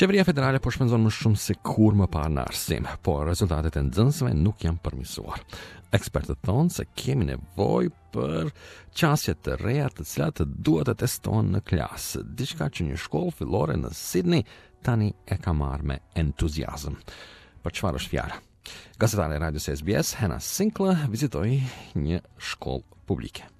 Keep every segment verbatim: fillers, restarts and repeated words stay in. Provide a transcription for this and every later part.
Qeveria federale po shpenzon më shumë se kurrë më parë në arsim, por rezultatet e nxënësve nuk janë përmirësuar. Ekspertët thonë se kemi nevojë për qasje të reja të cilat duhet të testohen në klasë, diçka që një shkollë fillore në Sydney tani e ka marrë me entuziazëm. Për çfarë është fjala? Gazetare e radios S B S, Hannah Sinclair, vizitoi një shkollë publike.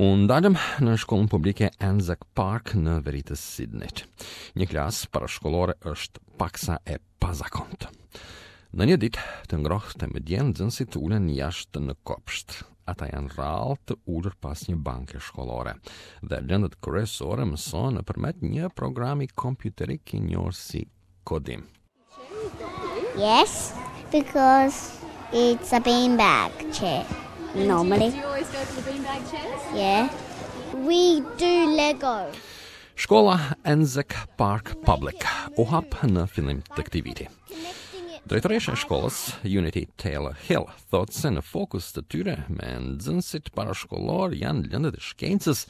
U ndalëm në shkollën publike Anzac Park në veri të Sydneyt. Një klasë parashkollore është paksa e pazakontë. Në një ditë të ngrohtë me diell, nxënësit ulen jashtë në kopsht. Ata janë rrallë të ulur pas një banke shkollore dhe lëndët kryesore mësohen nëpërmjet një programi kompjuterik i njohur si kodim. Yes, because it's a beanbag chair normally. Do you always go for the beanbag chairs? Yeah. We do Lego. Shkolla Anzac Park Public u hap në fillim të këtij viti. Drejtoresha e shkollës, Unity Taylor Hill, thotë se në fokus të tyre me nxënësit parashkollor janë lëndët e shkencës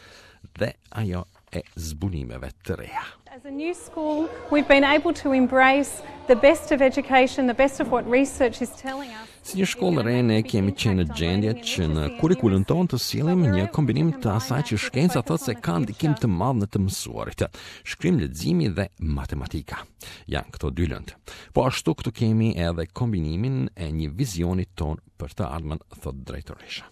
dhe ajo e zbulimeve të reja. As a new school, we've been able to embrace the best of education, the best of what research is telling us. Si një shkollë re, ne kemi qenë në gjendje që në kurrikulën tonë të sjellim një kombinim të asaj që shkenca thotë se ka ndikim të madh në të mësuarit. Shkrim, leximi dhe matematika. Janë këto dy lëndë. Po ashtu këtu kemi edhe kombinimin e një vizioni ton për të ardhmen, thotë drejtoresha.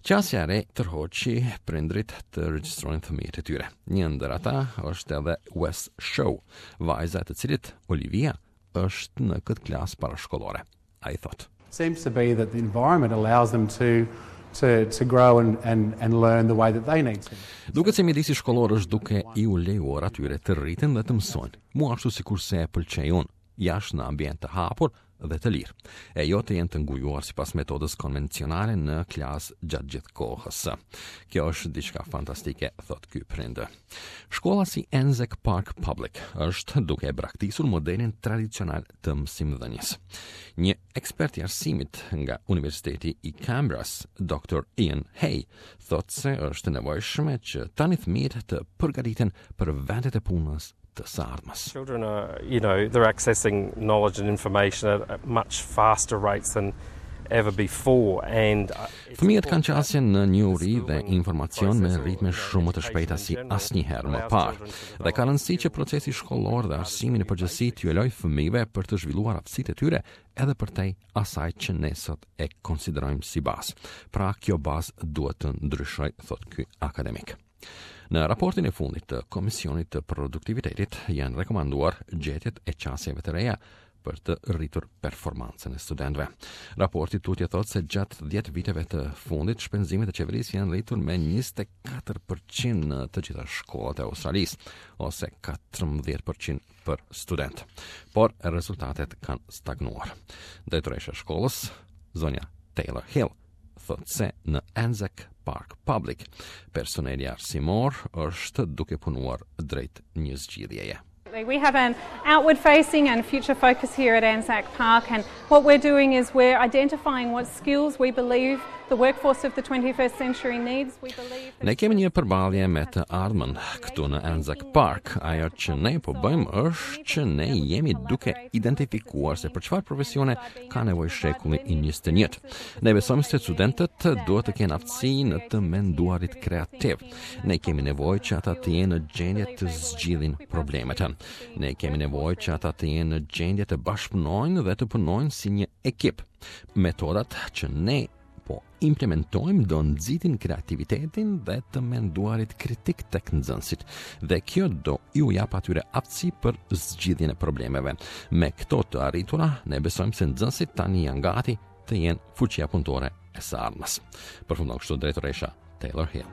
Qasja e re tërhoqi prindrit të regjistrojnë fëmijët e tyre. Një ndër ata është edhe Wes Shaw, vajza e të cilit Olivia është në këtë klasë parashkollore. Ai thotë: Seems to be that the environment allows them to to to grow and and and learn the way that they need to. Duket se mjedisi shkollor është duke iu lejuar atyre të rriten dhe të mësojnë, mu ashtu sikurse e pëlqej unë, jashtë në ambient të hapur dhe të lirë, e jo të jenë të ngujuar sipas metodës konvencionale në klasë gjatë gjithë kohës. Kjo është diçka fantastike, thot ky prind. Shkolla si Anzac Park Public është duke e braktisur modelin tradicional të mësimdhënies. Një ekspert i arsimit nga Universiteti i Canberras, Doktor Ian Hay, thot se është e nevojshme që tani fëmijët të përgatiten për vendet e punës të së ardhmes. Children are, you know, they're accessing knowledge and information at, at much faster rates than ever before and uh, Fëmijët kanë qasje në njohuri dhe informacion me ritme shumë më të shpejta si asnjëherë më parë. Dhe ka rëndësi që procesi shkollor dhe arsimi në përgjithësi t'ju lejojë fëmijëve për të zhvilluar aftësitë e tyre edhe përtej asaj që ne sot e konsiderojmë si bazë. Pra, kjo bazë duhet të ndryshojë, thot ky akademik. Në raportin e fundit të Komisionit të Produktivitetit janë rekomanduar gjetjet e qasjeve të reja për të rritur performancën e studentëve. Raporti tutje thotë se gjatë dhjetë viteve të fundit shpenzimet e qeverisë janë rritur me njëzet e katër për qind në të gjitha shkollat e Australisë, ose katërmbëdhjetë për qind për student. Por rezultatet kanë stagnuar. Drejtoresha e shkollës, zonja Taylor Hill, thotë se në Anzac Park Public personeli arsimor është duke punuar drejt një zgjidhjeje. We have an outward facing and future focus here at Anzac Park, and what we're doing is we're identifying what skills we believe the workforce of the twenty-first century needs. We believe Ne kemi një përballje me të ardhmen këtu në Anzac Park. Ajo që ne po bëjmë është që ne jemi duke identifikuar se për çfarë profesione ka nevojë shekulli i njëzet e një. Ne besojmë se studentët duhet të kenë aftësi në të menduarit kreativ. Ne kemi nevojë që ata të jenë në gjendje të zgjidhin problemet. Ne kemi nevojë që ata të jenë në gjendje të bashkëpunojnë dhe të punojnë si një ekip. Metodat që ne po implementojmë do nxitin kreativitetin dhe të menduarit kritik tek nxënësit dhe kjo do iu jap atyre aftësi për zgjidhjen e problemeve. Me këto të arritura, ne besojmë se nxënësit tani janë gati të jenë fuqia punëtore e së ardhmes. Përfundon kështu drejtoresha Taylor Hill.